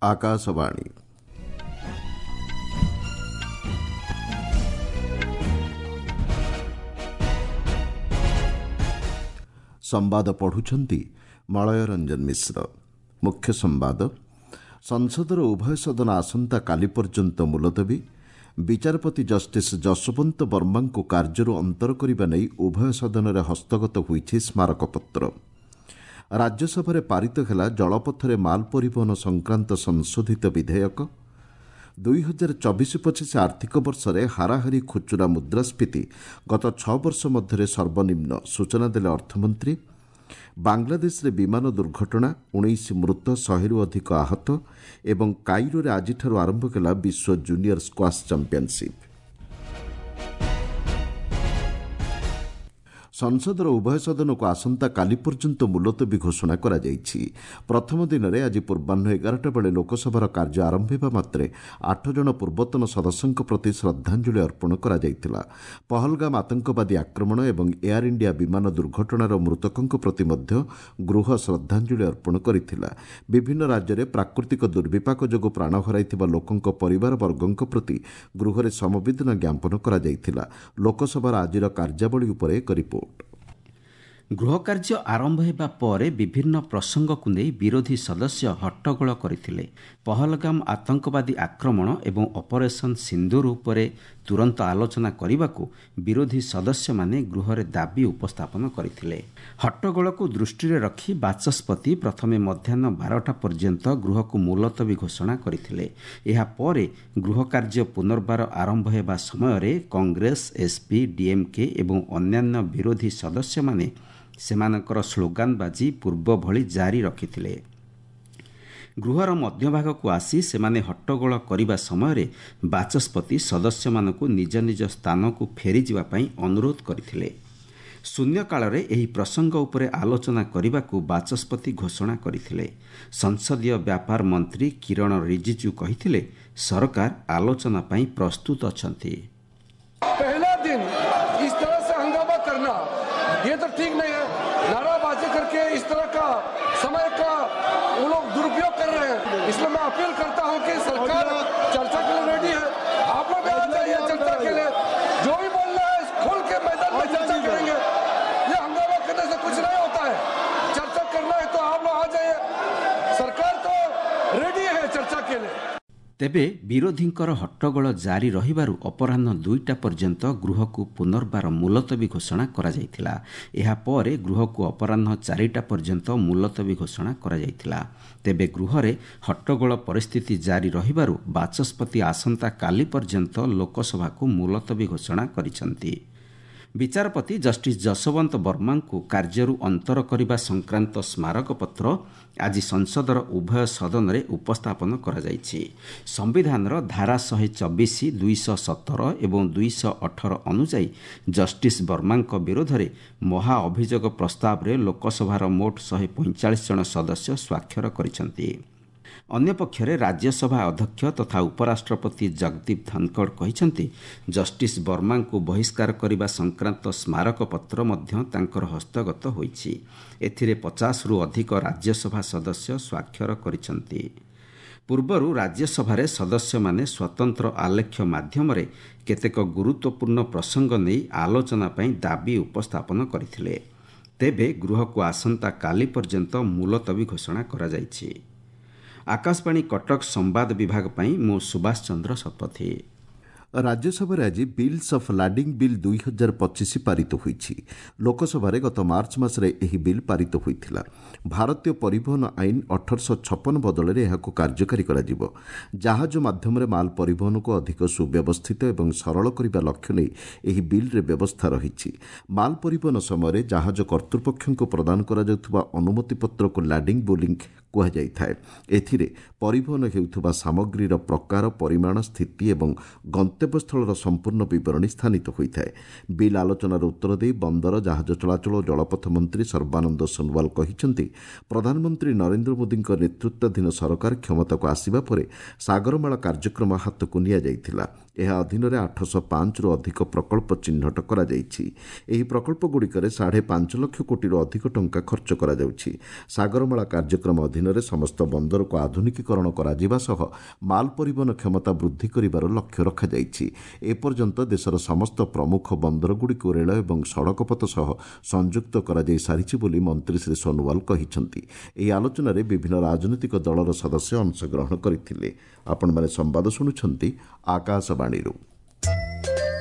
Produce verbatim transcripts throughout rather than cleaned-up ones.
ଆକାଶବାଣୀ ସମ୍ବାଦ ପଢ଼ୁଛନ୍ତି ମଳୟ ରଞ୍ଜନ ମିଶ୍ର। ମୁଖ୍ୟ ସମ୍ବାଦ। ସଂସଦର ଉଭୟ ସଦନ ଆସନ୍ତାକାଲି ପର୍ଯ୍ୟନ୍ତ ମୁଲତବୀ। ବିଚାରପତି ଜଷ୍ଟିସ୍ ଯଶୋବନ୍ତ ବର୍ମାଙ୍କୁ କାର୍ଯ୍ୟରୁ ଅନ୍ତର କରିବା ନେଇ ଉଭୟ ସଦନରେ ହସ୍ତଗତ ହୋଇଛି ସ୍ମାରକପତ୍ର। ରାଜ୍ୟସଭାରେ ପାରିତ ହେଲା ଜଳପଥରେ ମାଲ ପରିବହନ ସଂକ୍ରାନ୍ତ ସଂଶୋଧିତ ବିଧେୟକ। ଦୁଇ ହଜାର ଚବିଶ ପଚିଶ ଆର୍ଥିକ ବର୍ଷରେ ହାରାହାରି ଖୁଚୁରା ମୁଦ୍ରାସ୍ଫୀତି ଗତ ଛଅ ବର୍ଷ ମଧ୍ୟରେ ସର୍ବନିମ୍ନ, ସୂଚନା ଦେଲେ ଅର୍ଥମନ୍ତ୍ରୀ। ବାଂଲାଦେଶରେ ବିମାନ ଦୁର୍ଘଟଣା, ଉଣେଇଶ ମୃତ, ଶହେରୁ ଅଧିକ ଆହତ। ଏବଂ କାଇରୋରେ ଆଜିଠାରୁ ଆରମ୍ଭ ହେଲା ବିଶ୍ୱ ଜୁନିୟର ସ୍କ୍ୱାସ୍ ଚାମ୍ପିୟନସିପ୍। ସଂସଦର ଉଭୟ ସଦନକୁ ଆସନ୍ତାକାଲି ପର୍ଯ୍ୟନ୍ତ ମୁଲତବୀ ଘୋଷଣା କରାଯାଇଛି। ପ୍ରଥମ ଦିନରେ ଆଜି ପୂର୍ବାହ୍ନ ଏଗାରଟା ବେଳେ ଲୋକସଭାର କାର୍ଯ୍ୟ ଆରମ୍ଭ ହେବା ମାତ୍ରେ ଆଠ ଜଣ ପୂର୍ବତନ ସଦସ୍ୟଙ୍କ ପ୍ରତି ଶ୍ରଦ୍ଧାଞ୍ଜଳି ଅର୍ପଣ କରାଯାଇଥିଲା। ପହଲଗାମ ଆତଙ୍କବାଦୀ ଆକ୍ରମଣ ଏବଂ ଏୟାର ଇଣ୍ଡିଆ ବିମାନ ଦୁର୍ଘଟଣାର ମୃତକଙ୍କ ପ୍ରତି ମଧ୍ୟ ଗୃହ ଶ୍ରଦ୍ଧାଞ୍ଜଳି ଅର୍ପଣ କରିଥିଲା। ବିଭିନ୍ନ ରାଜ୍ୟରେ ପ୍ରାକୃତିକ ଦୁର୍ବିପାକ ଯୋଗୁଁ ପ୍ରାଣ ହରାଇଥିବା ଲୋକଙ୍କ ପରିବାରବର୍ଗଙ୍କ ପ୍ରତି ଗୃହରେ ସମବେଦନା ଜ୍ଞାପନ କରାଯାଇଥିଲା। ଲୋକସଭାର ଆଜିର କାର୍ଯ୍ୟାବଳୀ ଉପରେ ଏକ ରିପୋର୍ଟ। ଗୃହକାର୍ଯ୍ୟ ଆରମ୍ଭ ହେବା ପରେ ବିଭିନ୍ନ ପ୍ରସଙ୍ଗକୁ ନେଇ ବିରୋଧୀ ସଦସ୍ୟ ହଟ୍ଟଗୋଳ କରିଥିଲେ। ପହଲଗାମ ଆତଙ୍କବାଦୀ ଆକ୍ରମଣ ଏବଂ ଅପରେସନ୍ ସିନ୍ଦୁର ଉପରେ ତୁରନ୍ତ ଆଲୋଚନା କରିବାକୁ ବିରୋଧୀ ସଦସ୍ୟମାନେ ଗୃହରେ ଦାବି ଉପସ୍ଥାପନ କରିଥିଲେ। ହଟ୍ଟଗୋଳକୁ ଦୃଷ୍ଟିରେ ରଖି ବାଚସ୍ପତି ପ୍ରଥମେ ମଧ୍ୟାହ୍ନ ବାରଟା ପର୍ଯ୍ୟନ୍ତ ଗୃହକୁ ମୁଲତବୀ ଘୋଷଣା କରିଥିଲେ। ଏହାପରେ ଗୃହକାର୍ଯ୍ୟ ପୁନର୍ବାର ଆରମ୍ଭ ହେବା ସମୟରେ କଂଗ୍ରେସ, ଏସ୍ପି, ଡିଏମ୍କେ ଏବଂ ଅନ୍ୟାନ୍ୟ ବିରୋଧୀ ସଦସ୍ୟମାନେ ସେମାନଙ୍କର ସ୍ଲୋଗାନବାଜି ପୂର୍ବ ଭଳି ଜାରି ରଖିଥିଲେ। ଗୃହର ମଧ୍ୟଭାଗକୁ ଆସି ସେମାନେ ହଟ୍ଟଗୋଳ କରିବା ସମୟରେ ବାଚସ୍ପତି ସଦସ୍ୟମାନଙ୍କୁ ନିଜ ନିଜ ସ୍ଥାନକୁ ଫେରିଯିବା ପାଇଁ ଅନୁରୋଧ କରିଥିଲେ। ଶୂନ୍ୟକାଳରେ ଏହି ପ୍ରସଙ୍ଗ ଉପରେ ଆଲୋଚନା କରିବାକୁ ବାଚସ୍ପତି ଘୋଷଣା କରିଥିଲେ। ସଂସଦୀୟ ବ୍ୟାପାର ମନ୍ତ୍ରୀ କିରଣ ରିଜିଜୁ କହିଥିଲେ, ସରକାର ଆଲୋଚନା ପାଇଁ ପ୍ରସ୍ତୁତ ଅଛନ୍ତି। ये तो ठीक नहीं है। नाराबाजी करके इस तरह का समय का वो लोग दुरुपयोग कर रहे हैं। इसलिए मैं अपील करता हूं कि सरकार चर्चा के लिए रेडी है, आप लोग भी आ जाइए चर्चा के लिए। जो भी बोलना है खुल के मैदान में चर्चा करेंगे। ये हंगामा करने से कुछ नहीं होता है। चर्चा करना है तो आप लोग आ जाइए, सरकार तो रेडी है चर्चा के लिए। ତେବେ ବିରୋଧୀଙ୍କର ହଟ୍ଟଗୋଳ ଜାରି ରହିବାରୁ ଅପରାହ୍ନ ଦୁଇଟା ପର୍ଯ୍ୟନ୍ତ ଗୃହକୁ ପୁନର୍ବାର ମୁଲତବୀ ଘୋଷଣା କରାଯାଇଥିଲା। ଏହାପରେ ଗୃହକୁ ଅପରାହ୍ନ ଚାରିଟା ପର୍ଯ୍ୟନ୍ତ ମୁଲତବୀ ଘୋଷଣା କରାଯାଇଥିଲା। ତେବେ ଗୃହରେ ହଟ୍ଟଗୋଳ ପରିସ୍ଥିତି ଜାରି ରହିବାରୁ ବାଚସ୍ପତି ଆସନ୍ତାକାଲି ପର୍ଯ୍ୟନ୍ତ ଲୋକସଭାକୁ ମୁଲତବୀ ଘୋଷଣା କରିଛନ୍ତି। ବିଚାରପତି ଜଷ୍ଟିସ୍ ଯଶୋବନ୍ତ ବର୍ମାଙ୍କୁ କାର୍ଯ୍ୟରୁ ଅନ୍ତର କରିବା ସଂକ୍ରାନ୍ତ ସ୍ମାରକପତ୍ର ଆଜି ସଂସଦର ଉଭୟ ସଦନରେ ଉପସ୍ଥାପନ କରାଯାଇଛି। ସମ୍ବିଧାନର ଧାରା ଶହେ ଚବିଶ, ଦୁଇଶହ ସତର ଏବଂ ଦୁଇଶହ ଅଠର ଅନୁଯାୟୀ ଜଷ୍ଟିସ୍ ବର୍ମାଙ୍କ ବିରୋଧରେ ମହା ଅଭିଯୋଗ ପ୍ରସ୍ତାବରେ ଲୋକସଭାର ମୋଟ ଶହେ ପଇଁଚାଳିଶ ଜଣ ସଦସ୍ୟ ସ୍ୱାକ୍ଷର କରିଛନ୍ତି। ଅନ୍ୟପକ୍ଷରେ ରାଜ୍ୟସଭା ଅଧ୍ୟକ୍ଷ ତଥା ଉପରାଷ୍ଟ୍ରପତି ଜଗଦୀପ ଧନଖଡ଼ କହିଛନ୍ତି, ଜଷ୍ଟିସ୍ ବର୍ମାଙ୍କୁ ବହିଷ୍କାର କରିବା ସଂକ୍ରାନ୍ତ ସ୍ମାରକପତ୍ର ମଧ୍ୟ ତାଙ୍କର ହସ୍ତଗତ ହୋଇଛି। ଏଥିରେ ପଚାଶରୁ ଅଧିକ ରାଜ୍ୟସଭା ସଦସ୍ୟ ସ୍ୱାକ୍ଷର କରିଛନ୍ତି। ପୂର୍ବରୁ ରାଜ୍ୟସଭାରେ ସଦସ୍ୟମାନେ ସ୍ୱତନ୍ତ୍ର ଆଲେଖ୍ୟ ମାଧ୍ୟମରେ କେତେକ ଗୁରୁତ୍ୱପୂର୍ଣ୍ଣ ପ୍ରସଙ୍ଗ ନେଇ ଆଲୋଚନା ପାଇଁ ଦାବି ଉପସ୍ଥାପନ କରିଥିଲେ। ତେବେ ଗୃହକୁ ଆସନ୍ତାକାଲି ପର୍ଯ୍ୟନ୍ତ ମୁଲତବୀ ଘୋଷଣା କରାଯାଇଛି। ଆକାଶବାଣୀ କଟକ ସମ୍ବାଦ ବିଭାଗ ପାଇଁ ମୁଁ ସୁଭାଷ ଚନ୍ଦ୍ର ଶତପଥୀ। ରାଜ୍ୟସଭାରେ ଆଜି ବିଲ୍ସ ଅଫ୍ ଲାଡିଂ ବିଲ୍ ଦୁଇ ହଜାର ପଚିଶ ପାରିତ ହୋଇଛି। ଲୋକସଭାରେ ଗତ ମାର୍ଚ୍ଚ ମାସରେ ଏହି ବିଲ୍ ପାରିତ ହୋଇଥିଲା। ଭାରତୀୟ ପରିବହନ ଆଇନ ଅଠରଶହ ଛପନ ବଦଳରେ ଏହାକୁ କାର୍ଯ୍ୟକାରୀ କରାଯିବ। ଜାହାଜ ମାଧ୍ୟମରେ ମାଲ ପରିବହନକୁ ଅଧିକ ସୁବ୍ୟବସ୍ଥିତ ଏବଂ ସରଳ କରିବା ଲକ୍ଷ୍ୟ ନେଇ ଏହି ବିଲ୍ରେ ବ୍ୟବସ୍ଥା ରହିଛି। ମାଲ ପରିବହନ ସମୟରେ ଜାହାଜ କର୍ତ୍ତୃପକ୍ଷଙ୍କୁ ପ୍ରଦାନ କରାଯାଉଥିବା ଅନୁମତିପତ୍ରକୁ ଲାଡିଂ ବୋଲିଂ କୁହାଯାଇଥାଏ। ଏଥିରେ ପରିବହନ ହେଉଥିବା ସାମଗ୍ରୀର ପ୍ରକାର, ପରିମାଣ, ସ୍ଥିତି ଏବଂ ଗନ୍ତବ୍ୟସ୍ଥଳର ସମ୍ପୂର୍ଣ୍ଣ ବିବରଣୀ ସ୍ଥାନିତ ହୋଇଥାଏ। ବିଲ୍ ଆଲୋଚନାର ଉତ୍ତର ଦେଇ ବନ୍ଦର, ଜାହାଜ ଚଳାଚଳ ଓ ଜଳପଥ ମନ୍ତ୍ରୀ ସର୍ବାନନ୍ଦ ସୋନୱାଲ କହିଛନ୍ତି, ପ୍ରଧାନମନ୍ତ୍ରୀ ନରେନ୍ଦ୍ର ମୋଦିଙ୍କ ନେତୃତ୍ୱାଧୀନ ସରକାର କ୍ଷମତାକୁ ଆସିବା ପରେ ସାଗରମାଳା କାର୍ଯ୍ୟକ୍ରମ ହାତକୁ ନିଆଯାଇଥିଲା। ଏହା ଅଧୀନରେ ଆଠଶହ ପାଞ୍ଚରୁ ଅଧିକ ପ୍ରକଳ୍ପ ଚିହ୍ନଟ କରାଯାଇଛି। ଏହି ପ୍ରକଳ୍ପଗୁଡ଼ିକରେ ସାଢ଼େ ପାଞ୍ଚ ଲକ୍ଷ କୋଟିରୁ ଅଧିକ ଟଙ୍କା ଖର୍ଚ୍ଚ କରାଯାଉଛି। ସାଗରମାଳା କାର୍ଯ୍ୟକ୍ରମ ଅଧୀନରେ ଅଧୀନରେ ସମସ୍ତ ବନ୍ଦରକୁ ଆଧୁନିକୀକରଣ କରାଯିବା ସହ ମାଲ ପରିବହନ କ୍ଷମତା ବୃଦ୍ଧି କରିବାର ଲକ୍ଷ୍ୟ ରଖାଯାଇଛି। ଏପର୍ଯ୍ୟନ୍ତ ଦେଶର ସମସ୍ତ ପ୍ରମୁଖ ବନ୍ଦରଗୁଡ଼ିକୁ ରେଳ ଏବଂ ସଡ଼କପଥ ସହ ସଂଯୁକ୍ତ କରାଯାଇ ସାରିଛି ବୋଲି ମନ୍ତ୍ରୀ ଶ୍ରୀ ସୋନୋୱାଲ କହିଛନ୍ତି। ଏହି ଆଲୋଚନାରେ ବିଭିନ୍ନ ରାଜନୈତିକ ଦଳର ସଦସ୍ୟ ଅଂଶଗ୍ରହଣ କରିଥିଲେ। ଆପଣମାନେ ସମ୍ବାଦ ଶୁଣୁଛନ୍ତି ଆକାଶବାଣୀରୁ।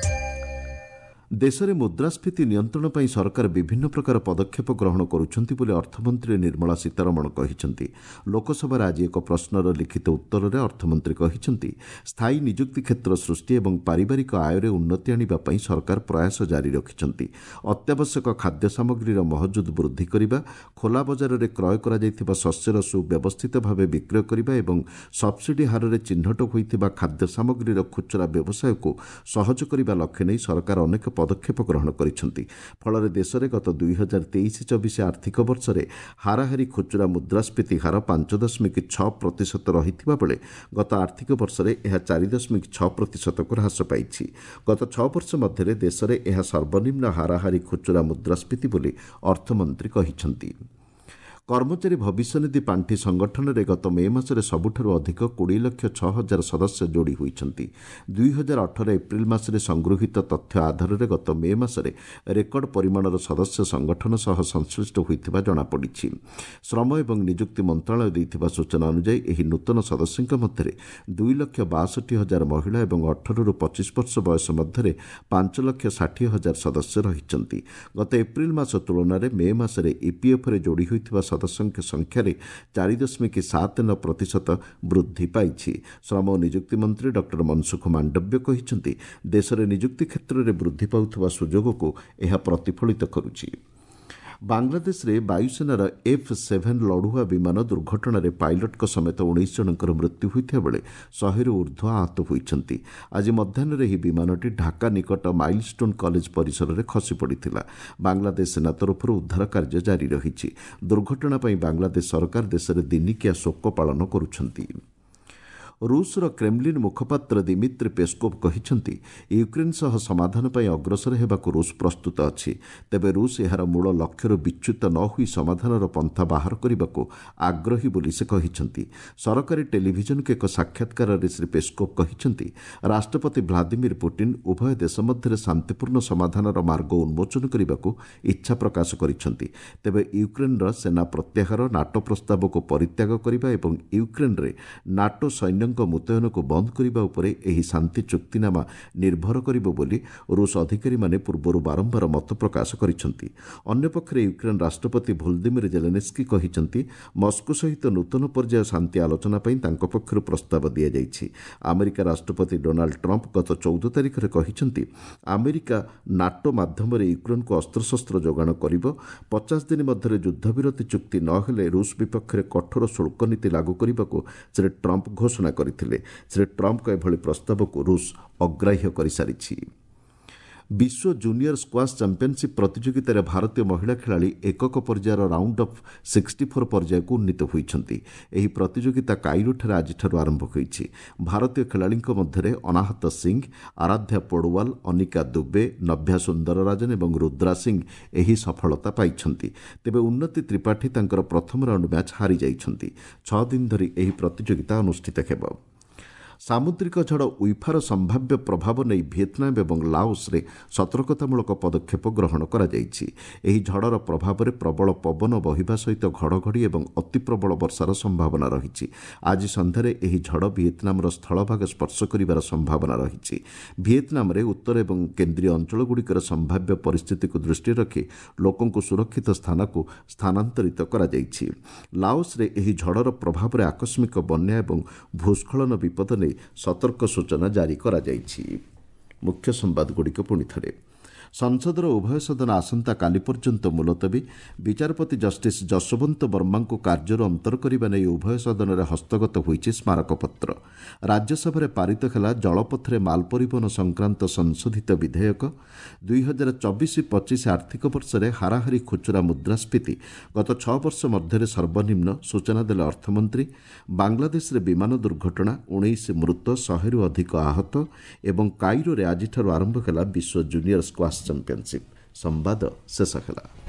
ଦେଶରେ ମୁଦ୍ରାସ୍ଫୀତି ନିୟନ୍ତ୍ରଣ ପାଇଁ ସରକାର ବିଭିନ୍ନ ପ୍ରକାର ପଦକ୍ଷେପ ଗ୍ରହଣ କରୁଛନ୍ତି ବୋଲି ଅର୍ଥମନ୍ତ୍ରୀ ନିର୍ମଳା ସୀତାରମଣ କହିଛନ୍ତି। ଲୋକସଭାରେ ଆଜି ଏକ ପ୍ରଶ୍ନର ଲିଖିତ ଉତ୍ତରରେ ଅର୍ଥମନ୍ତ୍ରୀ କହିଛନ୍ତି, ସ୍ଥାୟୀ ନିଯୁକ୍ତି କ୍ଷେତ୍ର ସୃଷ୍ଟି ଏବଂ ପାରିବାରିକ ଆୟରେ ଉନ୍ନତି ଆଣିବା ପାଇଁ ସରକାର ପ୍ରୟାସ ଜାରି ରଖିଛନ୍ତି। ଅତ୍ୟାବଶ୍ୟକ ଖାଦ୍ୟ ସାମଗ୍ରୀର ମହଜୁଦ ବୃଦ୍ଧି କରିବା, ଖୋଲା ବଜାରରେ କ୍ରୟ କରାଯାଇଥିବା ଶସ୍ୟର ସୁବ୍ୟବସ୍ଥିତ ଭାବେ ବିକ୍ରୟ କରିବା ଏବଂ ସବ୍ସିଡି ହାରରେ ଚିହ୍ନଟ ହୋଇଥିବା ଖାଦ୍ୟ ସାମଗ୍ରୀର ଖୁଚୁରା ବ୍ୟବସାୟକୁ ସହଜ କରିବା ଲକ୍ଷ୍ୟ ନେଇ ସରକାର ଅନେକ ପଦକ୍ଷେପ ଗ୍ରହଣ କରିଛନ୍ତି। ଫଳରେ ଦେଶରେ ଗତ ଦୁଇ ହଜାର ତେଇଶ ଚବିଶ ଆର୍ଥିକ ବର୍ଷରେ ହାରାହାରି ଖୁଚୁରା ମୁଦ୍ରାସ୍ଫୀତି ହାର ପାଞ୍ଚ ଦଶମିକ ଛଅ ପ୍ରତିଶତ ରହିଥିବା ବେଳେ ଗତ ଆର୍ଥିକ ବର୍ଷରେ ଏହା ଚାରି ଦଶମିକ ଛଅ ପ୍ରତିଶତକୁ ହ୍ରାସ ପାଇଛି। ଗତ ଛଅ ବର୍ଷ ମଧ୍ୟରେ ଦେଶରେ ଏହା ସର୍ବନିମ୍ନ ହାରାହାରି ଖୁଚୁରା ମୁଦ୍ରାସ୍ଫୀତି ବୋଲି ଅର୍ଥମନ୍ତ୍ରୀ କହିଛନ୍ତି। କର୍ମଚାରୀ ଭବିଷ୍ୟନିଧି ପାଣ୍ଠି ସଂଗଠନରେ ଗତ ମେ ମାସରେ ସବୁଠାରୁ ଅଧିକ କୋଡ଼ିଏ ଲକ୍ଷ ଛଅ ହଜାର ସଦସ୍ୟ ଯୋଡ଼ି ହୋଇଛନ୍ତି। ଦୁଇ ହଜାର ଅଠର ଏପ୍ରିଲ ମାସରେ ସଂଗୃହୀତ ତଥ୍ୟ ଆଧାରରେ ଗତ ମେ ମାସରେ ରେକର୍ଡ ପରିମାଣର ସଦସ୍ୟ ସଂଗଠନ ସହ ସଂଶ୍ଳିଷ୍ଟ ହୋଇଥିବା ଜଣାପଡ଼ିଛି। ଶ୍ରମ ଏବଂ ନିଯୁକ୍ତି ମନ୍ତ୍ରଣାଳୟ ଦେଇଥିବା ସୂଚନା ଅନୁଯାୟୀ ଏହି ନୂତନ ସଦସ୍ୟଙ୍କ ମଧ୍ୟରେ ଦୁଇ ଲକ୍ଷ ବାଷଠି ହଜାର ମହିଳା ଏବଂ ଅଠରରୁ ପଚିଶ ବର୍ଷ ବୟସ ମଧ୍ୟରେ ପାଞ୍ଚ ଲକ୍ଷ ଷାଠିଏ ହଜାର ସଦସ୍ୟ ରହିଛନ୍ତି। ଗତ ଏପ୍ରିଲ ମାସ ତୁଳନାରେ ମେ ମାସରେ ଇପିଏଫ୍ରେ ଯୋଡ଼ି ହୋଇଥିବା ସଦସ୍ୟଙ୍କ ସଂଖ୍ୟାରେ ଚାରି ଦଶମିକ ସାତ ନଅ ପ୍ରତିଶତ ବୃଦ୍ଧି ପାଇଛି। ଶ୍ରମ ଓ ନିଯୁକ୍ତି ମନ୍ତ୍ରୀ ଡକ୍ଟର ମନସୁଖ ମାଣ୍ଡବ୍ୟ କହିଛନ୍ତି, ଦେଶରେ ନିଯୁକ୍ତି କ୍ଷେତ୍ରରେ ବୃଦ୍ଧି ପାଉଥିବା ସୁଯୋଗକୁ ଏହା ପ୍ରତିଫଳିତ କରୁଛି। ବାଂଲାଦେଶରେ ବାୟୁସେନାର ଏଫ୍ ସେଭେନ୍ ଲଢୁଆ ବିମାନ ଦୁର୍ଘଟଣାରେ ପାଇଲଟଙ୍କ ସମେତ ଉଣେଇଶ ଜଣଙ୍କର ମୃତ୍ୟୁ ହୋଇଥିବା ବେଳେ ଶହେରୁ ଉର୍ଦ୍ଧ୍ୱ ଆହତ ହୋଇଛନ୍ତି। ଆଜି ମଧ୍ୟାହ୍ନରେ ଏହି ବିମାନଟି ଢାକା ନିକଟ ମାଇଲଷ୍ଟୋନ୍ କଲେଜ ପରିସରରେ ଖସି ପଡ଼ିଥିଲା। ବାଂଲାଦେଶ ସେନା ତରଫରୁ ଉଦ୍ଧାର କାର୍ଯ୍ୟ ଜାରି ରହିଛି। ଦୁର୍ଘଟଣା ପାଇଁ ବାଂଲାଦେଶ ସରକାର ଦେଶରେ ଦିନିକିଆ ଶୋକ ପାଳନ କରୁଛନ୍ତି। ରୁଷର କ୍ରେମଲିନ୍ ମୁଖପାତ୍ର ଦିମିତ୍ରି ପେସ୍କୋଭ୍ କହିଛନ୍ତି, ୟୁକ୍ରେନ୍ ସହ ସମାଧାନ ପାଇଁ ଅଗ୍ରସର ହେବାକୁ ରୁଷ ପ୍ରସ୍ତୁତ ଅଛି। ତେବେ ରୁଷ ଏହାର ମୂଳ ଲକ୍ଷ୍ୟରୁ ବିଚ୍ୟୁତ ନ ହୋଇ ସମାଧାନର ପନ୍ଥା ବାହାର କରିବାକୁ ଆଗ୍ରହୀ ବୋଲି ସେ କହିଛନ୍ତି। ସରକାରୀ ଟେଲିଭିଜନକୁ ଏକ ସାକ୍ଷାତକାରରେ ଶ୍ରୀ ପେସ୍କୋଭ୍ କହିଛନ୍ତି, ରାଷ୍ଟ୍ରପତି ଭ୍ଲାଦିମିର ପୁଟିନ୍ ଉଭୟ ଦେଶ ମଧ୍ୟରେ ଶାନ୍ତିପୂର୍ଣ୍ଣ ସମାଧାନର ମାର୍ଗ ଉନ୍ମୋଚନ କରିବାକୁ ଇଚ୍ଛା ପ୍ରକାଶ କରିଛନ୍ତି। ତେବେ ୟୁକ୍ରେନ୍ର ସେନା ପ୍ରତ୍ୟାହାର, ନାଟୋ ପ୍ରସ୍ତାବକୁ ପରିତ୍ୟାଗ କରିବା ଏବଂ ୟୁକ୍ରେନ୍ରେ ନାଟୋ ସୈନ୍ୟଙ୍କ ମୁତୟନକୁ ବନ୍ଦ କରିବା ଉପରେ ଏହି ଶାନ୍ତି ଚୁକ୍ତିନାମା ନିର୍ଭର କରିବ ବୋଲି ରୁଷ ଅଧିକାରୀମାନେ ପୂର୍ବରୁ ବାରମ୍ବାର ମତ ପ୍ରକାଶ କରିଛନ୍ତି। ଅନ୍ୟପକ୍ଷରେ ୟୁକ୍ରେନ୍ ରାଷ୍ଟ୍ରପତି ଭୋଲଦିମିର ଜେଲେନେସ୍କି କହିଛନ୍ତି, ମସ୍କୋ ସହିତ ନୂତନ ପର୍ଯ୍ୟାୟ ଶାନ୍ତି ଆଲୋଚନା ପାଇଁ ତାଙ୍କ ପକ୍ଷରୁ ପ୍ରସ୍ତାବ ଦିଆଯାଇଛି। ଆମେରିକା ରାଷ୍ଟ୍ରପତି ଡୋନାଲ୍ଡ ଟ୍ରମ୍ପ ଗତ ଚଉଦ ତାରିଖରେ କହିଛନ୍ତି, ଆମେରିକା ନାଟୋ ମାଧ୍ୟମରେ ୟୁକ୍ରେନ୍କୁ ଅସ୍ତ୍ରଶସ୍ତ୍ର ଯୋଗାଣ କରିବ। ପଚାଶ ଦିନ ମଧ୍ୟରେ ଯୁଦ୍ଧବିରତି ଚୁକ୍ତି ନ ହେଲେ ରୁଷ ବିପକ୍ଷରେ କଠୋର ଶୁଳ୍କ ନୀତି ଲାଗୁ କରିବାକୁ ଶ୍ରୀ ଟ୍ରମ୍ପ ଘୋଷଣା କରିଥିଲେ। ଶ୍ରୀ ଟ୍ରମ୍ପଙ୍କ ଏଭଳି ପ୍ରସ୍ତାବକୁ ରୁଷ ଅଗ୍ରାହ୍ୟ କରିସାରିଛି। ବିଶ୍ୱ ଜୁନିୟର ସ୍କ୍ୱାସ୍ ଚାମ୍ପିୟନସିପ୍ ପ୍ରତିଯୋଗିତାରେ ଭାରତୀୟ ମହିଳା ଖେଳାଳି ଏକକ ପର୍ଯ୍ୟାୟର ରାଉଣ୍ଡ ଅଫ୍ ସିକ୍ସଟି ଫୋର୍ ପର୍ଯ୍ୟାୟକୁ ଉନ୍ନୀତ ହୋଇଛନ୍ତି। ଏହି ପ୍ରତିଯୋଗିତା କାଇରୋଠାରେ ଆଜିଠାରୁ ଆରମ୍ଭ ହୋଇଛି। ଭାରତୀୟ ଖେଳାଳିଙ୍କ ମଧ୍ୟରେ ଅନାହତ ସିଂ, ଆରାଧ୍ୟା ପୋଡୱାଲ, ଅନିକା ଦୁବେ, ନଭ୍ୟା ସୁନ୍ଦରରାଜନ ଏବଂ ରୁଦ୍ରା ସିଂ ଏହି ସଫଳତା ପାଇଛନ୍ତି। ତେବେ ଉନ୍ନତି ତ୍ରିପାଠୀ ତାଙ୍କର ପ୍ରଥମ ରାଉଣ୍ଡ ମ୍ୟାଚ୍ ହାରିଯାଇଛନ୍ତି। ଛଅ ଦିନ ଧରି ଏହି ପ୍ରତିଯୋଗିତା ଅନୁଷ୍ଠିତ ହେବ। ସାମୁଦ୍ରିକ ଝଡ଼ ଉଇଫାର ସମ୍ଭାବ୍ୟ ପ୍ରଭାବ ନେଇ ଭିଏତନାମ ଏବଂ ଲାଓସରେ ସତର୍କତାମୂଳକ ପଦକ୍ଷେପ ଗ୍ରହଣ କରାଯାଇଛି। ଏହି ଝଡ଼ର ପ୍ରଭାବରେ ପ୍ରବଳ ପବନ ବହିବା ସହିତ ଘଡ଼ଘଡ଼ି ଏବଂ ଅତିପ୍ରବଳ ବର୍ଷାର ସମ୍ଭାବନା ରହିଛି। ଆଜି ସନ୍ଧ୍ୟାରେ ଏହି ଝଡ଼ ଭିଏତନାମର ସ୍ଥଳଭାଗ ସ୍ପର୍ଶ କରିବାର ସମ୍ଭାବନା ରହିଛି। ଭିଏତନାମରେ ଉତ୍ତର ଏବଂ କେନ୍ଦ୍ରୀୟ ଅଞ୍ଚଳଗୁଡ଼ିକର ସମ୍ଭାବ୍ୟ ପରିସ୍ଥିତିକୁ ଦୃଷ୍ଟିରେ ରଖି ଲୋକଙ୍କୁ ସୁରକ୍ଷିତ ସ୍ଥାନକୁ ସ୍ଥାନାନ୍ତରିତ କରାଯାଇଛି। ଲାଓସରେ ଏହି ଝଡ଼ର ପ୍ରଭାବରେ ଆକସ୍ମିକ ବନ୍ୟା ଏବଂ ଭୂସ୍ଖଳନ ବିପଦ ନେଇ ସତର୍କ ସୂଚନା ଜାରି କରାଯାଇଛି। ମୁଖ୍ୟ ସମ୍ବାଦଗୁଡ଼ିକ ପୁଣି ଥରେ। ସଂସଦର ଉଭୟ ସଦନ ଆସନ୍ତାକାଲି ପର୍ଯ୍ୟନ୍ତ ମୁଲତବୀ। ବିଚାରପତି ଜଷ୍ଟିସ୍ ଯଶୋବନ୍ତ ବର୍ମାଙ୍କୁ କାର୍ଯ୍ୟରୁ ଅନ୍ତର କରିବା ନେଇ ଉଭୟ ସଦନରେ ହସ୍ତଗତ ହୋଇଛି ସ୍ମାରକପତ୍ର। ରାଜ୍ୟସଭାରେ ପାରିତ ହେଲା ଜଳପଥରେ ମାଲ ପରିବହନ ସଂକ୍ରାନ୍ତ ସଂଶୋଧିତ ବିଧେୟକ। ଦୁଇ ହଜାର ଚବିଶ ପଚିଶ ଆର୍ଥିକ ବର୍ଷରେ ହାରାହାରି ଖୁଚୁରା ମୁଦ୍ରାସ୍ଫୀତି ଗତ ଛଅ ବର୍ଷ ମଧ୍ୟରେ ସର୍ବନିମ୍ନ, ସୂଚନା ଦେଲେ ଅର୍ଥମନ୍ତ୍ରୀ। ବାଂଲାଦେଶରେ ବିମାନ ଦୁର୍ଘଟଣା, ଉଣେଇଶ ମୃତ, ଶହେରୁ ଅଧିକ ଆହତ ଏବଂ କାଇରୋରେ ଆଜିଠାରୁ ଆରମ୍ଭ ହେଲା ବିଶ୍ୱ ଜୁନିୟର ସ୍କ୍ୱାସ୍ ଚାମ୍ପିୟନସିପ୍। ସମ୍ବାଦ ଶେଷ ହେଲା।